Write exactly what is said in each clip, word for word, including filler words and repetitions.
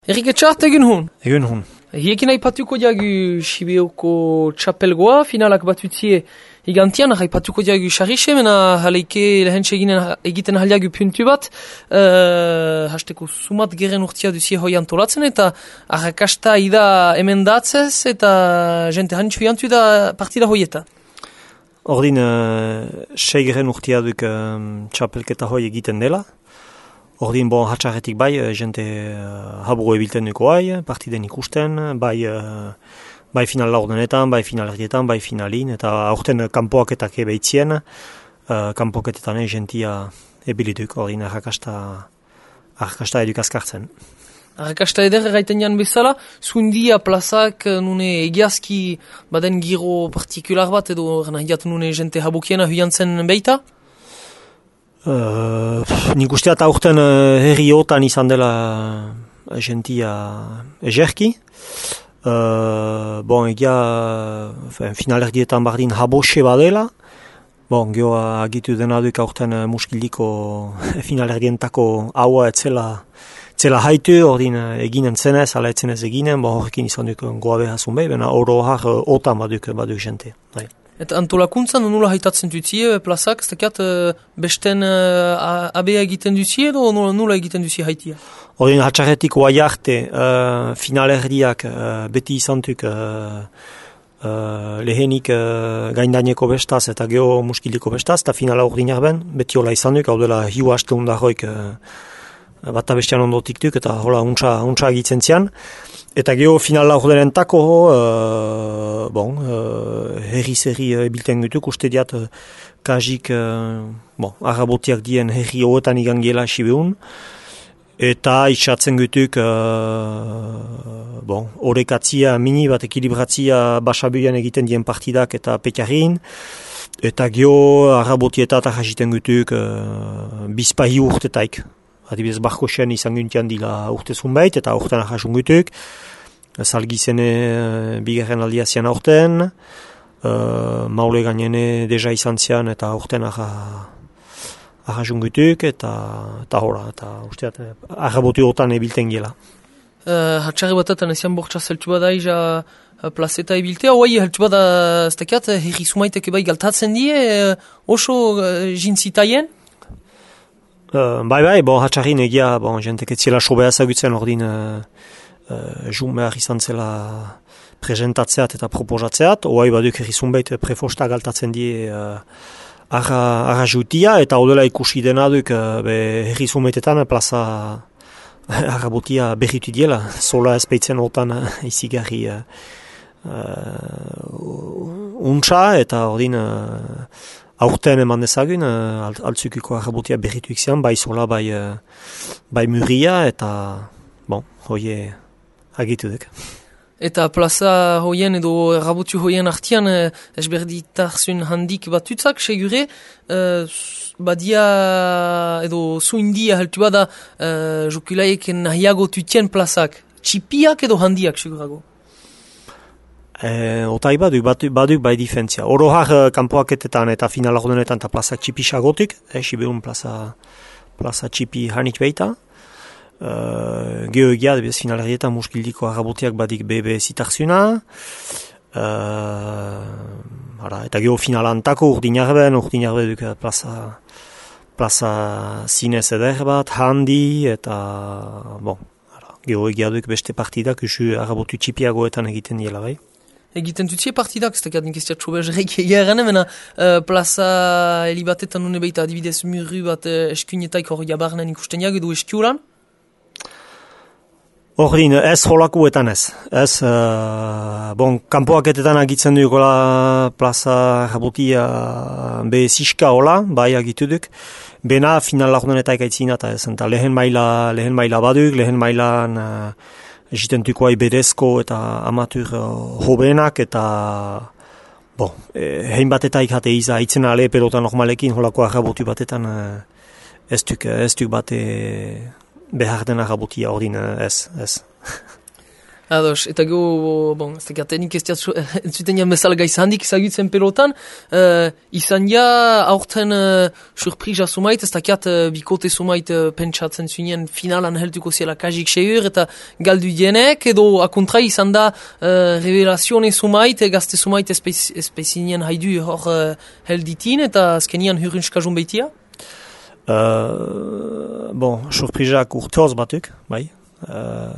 Erik Etxart, egun hun? Egun hun. Hiekin haipatuko diagu Sibioko txapelgoa, finalak batutzie igantian, haipatuko diagu xarrixe, mena haleike lehentxe egiten haliagu puntu bat, uh, hasteko sumat geren urtia duzie hoi antolatzen, eta arrakasta ida hemen datzez, eta jente hanitxu jantu da partida hoieta. Ordin, uh, sei geren urtia duk um, txapelketa hoi egiten dela. Ordin, bon, hatxarretik bai, jente uh, haburo ebilten duko bai, partiden ikusten, bai, uh, bai final laurdenetan, bai final erdietan, bai finalin, eta aurten kanpoaketak ebeitzien, uh, kanpoaketetan jentia ebiliduk, ordin, arrakasta, arrakasta eduk azkartzen. Arrakasta eder erraiten jan bezala, zuindia plazak nune egiazki baden giro partikular bat, edo nahiat nune jente habukiena huiantzen beita? Uh, nik usteat aurten uh, herriotan izan dela jentia egerki. Uh, bon, egia uh, finalerdietan bardin habose badela. Bon, geho agitu dena duk aurten uh, muskiliko finalerdientako haua etzela, etzela haitu, ordin uh, eginen zenez, ala etzenez eginen, bon, horrekin izan duk goa behazun behi, bena oro har uh, otan baduk, baduk jente. Bai. Eta antolakuntzan nula haitatzen duzie plazak, ez dakiat besten uh, abea egiten duzie edo nula, nula egiten duzie haitia? Ordin hatxarretik oai arte uh, finalerdiak uh, beti izantuk uh, uh, lehenik uh, gaindaineko bestaz eta geho muskiliko bestaz, eta finala ordin arben, beti hola izantuk, hau dela hiu haste hundarroik uh, bata bestian ondotik duk, eta hola untsa, untsa egitzen zian. Eta geho final laurdenentako, uh, bon, uh, herri-zerri uh, ebilten gutuk, uste diat, uh, kajik, uh, bon, arabotiak dien herri hoetan igan gela sibeun, eta itxatzen gutuk, uh, bon, horrekatzia, mini bat ekilibratzia basabuian egiten dien partidak eta pekarin, eta geho arabotietat ahasiten gutuk, uh, bizpahi urtetaik. Adibidez, Barkosen izan guntian dila urte zunbait, eta urtean ahasun gutuk. Salgizene uh, bigarren aldia zian aurten, uh, maule gainene deja izan zian, eta urtean ahasun gutuk, eta, eta hola, eta usteat, arrabotu hortan ebilten gela. Uh, Hatxarri batetan ezian bortxa zeltu bada iza uh, plazeta ebiltea, oai heltu bada ez dakiat, herri sumaitek ebai galtatzen die, uh, oso uh, jintzitaien? Uh, bai bai, bon, hatxarrin egia, bon, jentek etziela sobea zagutzen ordin uh, uh, jun behar izan zela presentatzeat eta proposatzeat, oai baduk herrizunbeit prefosta galtatzen die uh, arra, arra jutia, eta odela ikusi dena duk uh, herrizunbeitetan plaza arrabotia berritu diela, sola ezpeitzen otan uh, izigarri uh, uh, untsa, eta ordin uh, aurten eman dezagun, uh, altzukiko arrabotia berrituik zian, bai sola, bai, uh, bai muria, eta, bon, hoie agitu duk. Eta plaza hoien edo arrabotu hoien artian uh, esberditarzun handik batutzak, segure, uh, badia edo zuindia heltu bada uh, jokulaik nahiago tutien plazak, txipiak edo handiak, segurago? E, otai baduk, baduk, baduk bai difentzia. Orohar uh, kanpoaketetan eta final ordenetan eta plaza txipi sagotik, eh, Sibeun plaza, plaza txipi hanik beita. Uh, Geo egia, debez finalerdietan muskildiko arrabotiak badik bebe zitarzuna. Uh, ara, eta geo finalantako urdinarben, urdinarbe duk plaza, plaza zinez eder bat, handi, eta bon, ara, geo egia duk beste partidak usu arrabotu txipiagoetan egiten diela bai. Egiten dutzie partidak, ez dakiat nik ez diat sobe jerek egia erane, mena uh, plaza helibatetan nune beita adibidez murru bat uh, eskuinetaik hor jabarnen ikusten jak edo eskiulan? Ordin, ez holakuetan ez. Ez, uh, bon, kanpoaketetan agitzen dukola plaza jabotia be ziska hola, bai agitu duk. Bena final laurdenetaik aitzina eta ez, eta lehen maila, lehen maila baduk, lehen mailan uh, egitentuko bedezko eta amatur uh, hobenak, eta bon, eh, hein batetaik jate iza aitzen ale pelota normalekin holako arrabotu batetan uh, ez duk, ez duk bate behar den arrabotia ordin uh, ez, ez. Ados, eta go, bon, ez da tenik ez diat entzuten jan bezala gaiz handik izagutzen pelotan, uh, izan ja aurten uh, surprisa sumait, ez dakiat uh, bikote sumait uh, pentsatzen zuen finalan helduko ziela kajik seur eta galdu dienek, edo akontra izan da uh, revelazione sumait, gazte sumait espezinien haidu hor uh, helditin, eta azkenian hurrunskajun beitia? Uh, bon, surprisak urteoz batuk, bai. Uh,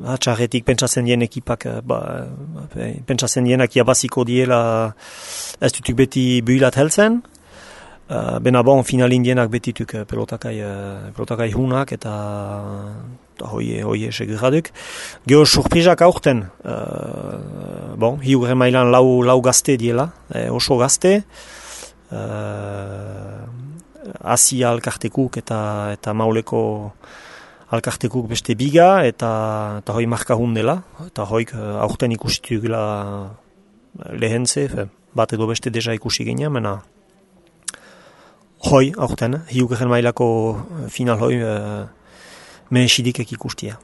Hatxarretik pentsatzen dien ekipak, ba, pentsatzen dienak jabaziko diela ez dutuk beti builat heltzen. Uh, Bena bon, finalin dienak betituk pelotakai, uh, pelotakai hunak eta hoi, hoi segurraduk. Geo surprizak aurten, uh, bon, hiugre mailan lau, lau gazte diela, eh, oso gazte. Uh, Asia alkartekuk eta, eta mauleko alkartekuk beste biga, eta, eta hoi markahun dela, eta hoik uh, aurten ikusitu gila lehentze, bat edo beste deja ikusi genia, mena hoi aurten, hiugeren mailako final hoi uh, mehesidikek ikustia.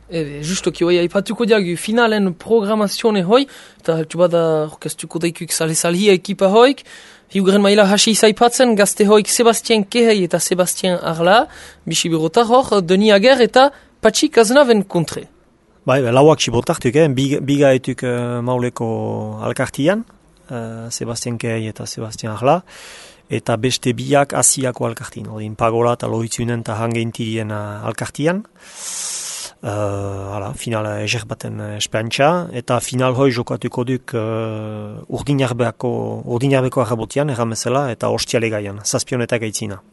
Ebe, justoki hoi haipatuko diagu finalen programazione hoi, eta heltu bada orkestuko daikuk sale-salhia ekipa hoik, hiugeren maila hasi izaipatzen, gazte hoik Sebastien Kehei eta Sebastien Arla, bisi birotar hor, Deni Ager eta Patxi Kaznaven kontre. Bai, lauak sibotartuk, eh? biga, biga etuk uh, mauleko alkartian, uh, Sebastien Kehei eta Sebastien Arla, eta beste biak asiako alkartin, odin Pagola eta Loitzunen eta Hangeintirien uh, alkartian. Uh, hala, final eger baten espantxa, eta final hoi jokatuko duk uh, urdinarbeko, urdinarbeko arrabotian, erramezela, eta ostiale gaian, zazpionetak aitzina.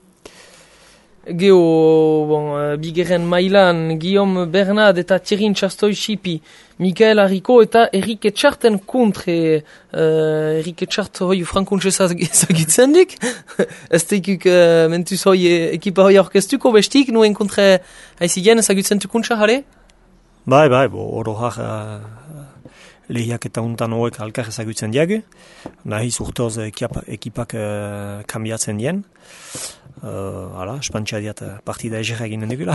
Geo, bon, uh, bigeren mailan, Guillaume Bernard eta Thierry Txastoi-Xipi, Mikael Harriko eta Erik Etxarten kontre, uh, Erik Etxart hoi frankuntxe ezagitzen dik, ez teikuk uh, mentuz hoi ekipa hoi orkestuko bestik, nuen kontre haizigen ezagitzen tukuntxa, jare? Bai, bai, bo, oro har uh, lehiak eta untan hoek alkar ezagutzen diagu, nahiz urteoz ekipak, ekipak uh, kambiatzen dien. Uh, hala, espantxa diat partida egerra eginen dugula.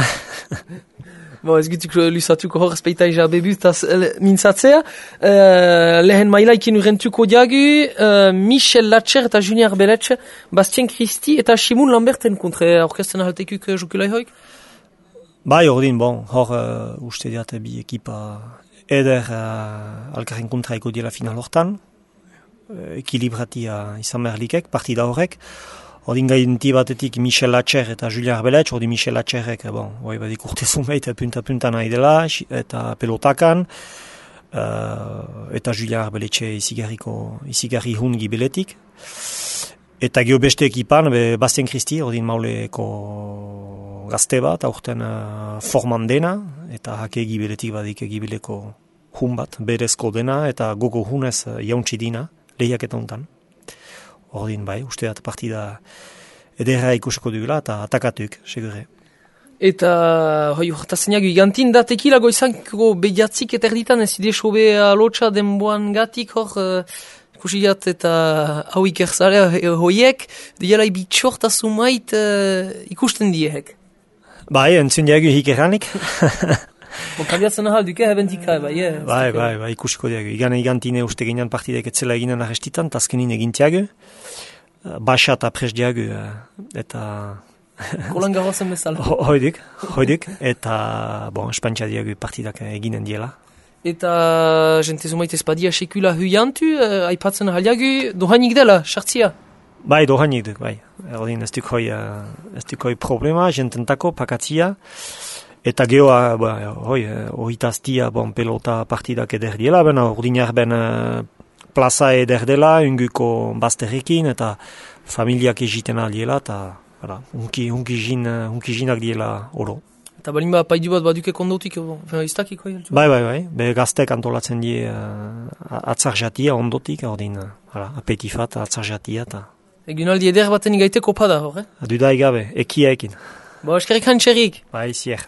Bo, ez gutuk lusatuko hor azpeita eza bebutaz mintzatzea. Uh, lehen mailaikin urrentuko diagu, uh, Michel Latcher eta Junior Beletxe, Bastien Christi eta Simon Lamberten kontre orkesten ahaltekuk jokulai hoik? Bai, ordin, bon, hor uh, uste diat bi ekipa eder uh, alkarren kontra eko diela final hortan, uh, ekilibratia izan berlikek, partida horrek. Odin gainti batetik Michel Latcher eta Julien Arbeletx, odin Michel Latcherrek, bon, oi badik urtezun behit, punta-punta nahi dela, eta pelotakan, uh, eta Julien Arbeletxe izigarriko, izigarri hun gibeletik. Eta geho beste ekipan, be, Bastien Christi, odin mauleko gazte bat, aurten uh, forman dena, eta hake gibeletik badik gibeleko hun bat, berezko dena, eta gogo hunez uh, jauntsi dina, lehiak eta untan. Ordin bai, usteat partida ederra ikusiko dugula eta atakatuk, segure. Eta, hoi, hortazenak gigantin da tekilago izanko behiatzik eta erditan ez ide sobe alotxa denboan gatik hor, uh, ikusiat eta hau ikerzarea hoiek, diala ibitxorta sumait uh, ikusten diehek. Bai, entzun diagu hik erranik. Bon, kambiatzen ahal duke, hebentika, bai, eh? Bai, bai, bai, ikusiko diagu. Igan egantine uste ginean partidek etzela eginen arrestitan, tazkenin egintiagu. Baxa eta pres diagu, eta... Roland Garrosen bezala. Hoidik, hoidik, eta, bon, espantxa diagu partidak eginen diela. Eta, jente zumaite espadia sekula huiantu, eh, aipatzen ahaliagu, dohainik dela, sartzia? Bai, dohainik duk, bai. Erdin, ez duk hoi, ez duk hoi problema, jententako, pakatzia. Eta geoa, ba, hoi, horritaztia, bon, pelota partidak eder diela, bena ordinar ben plaza eder dela, unguko bazterrekin, eta familiak egiten aldiela, eta, voilà, unki, unki, jin, unki jinak diela oro. Eta balin ba, paidu bat baduke kondotik, iztakik hoi? Bai, bai, bai, be gaztek antolatzen die uh, atzar jatia ondotik, ordin, uh, apetifat, atzar jatia, eta... Egun aldi eder baten igaiteko pada, hor, eh? Adudai gabe, ekia ekin. Bo, eskerrik hantxerik. Bai, zier.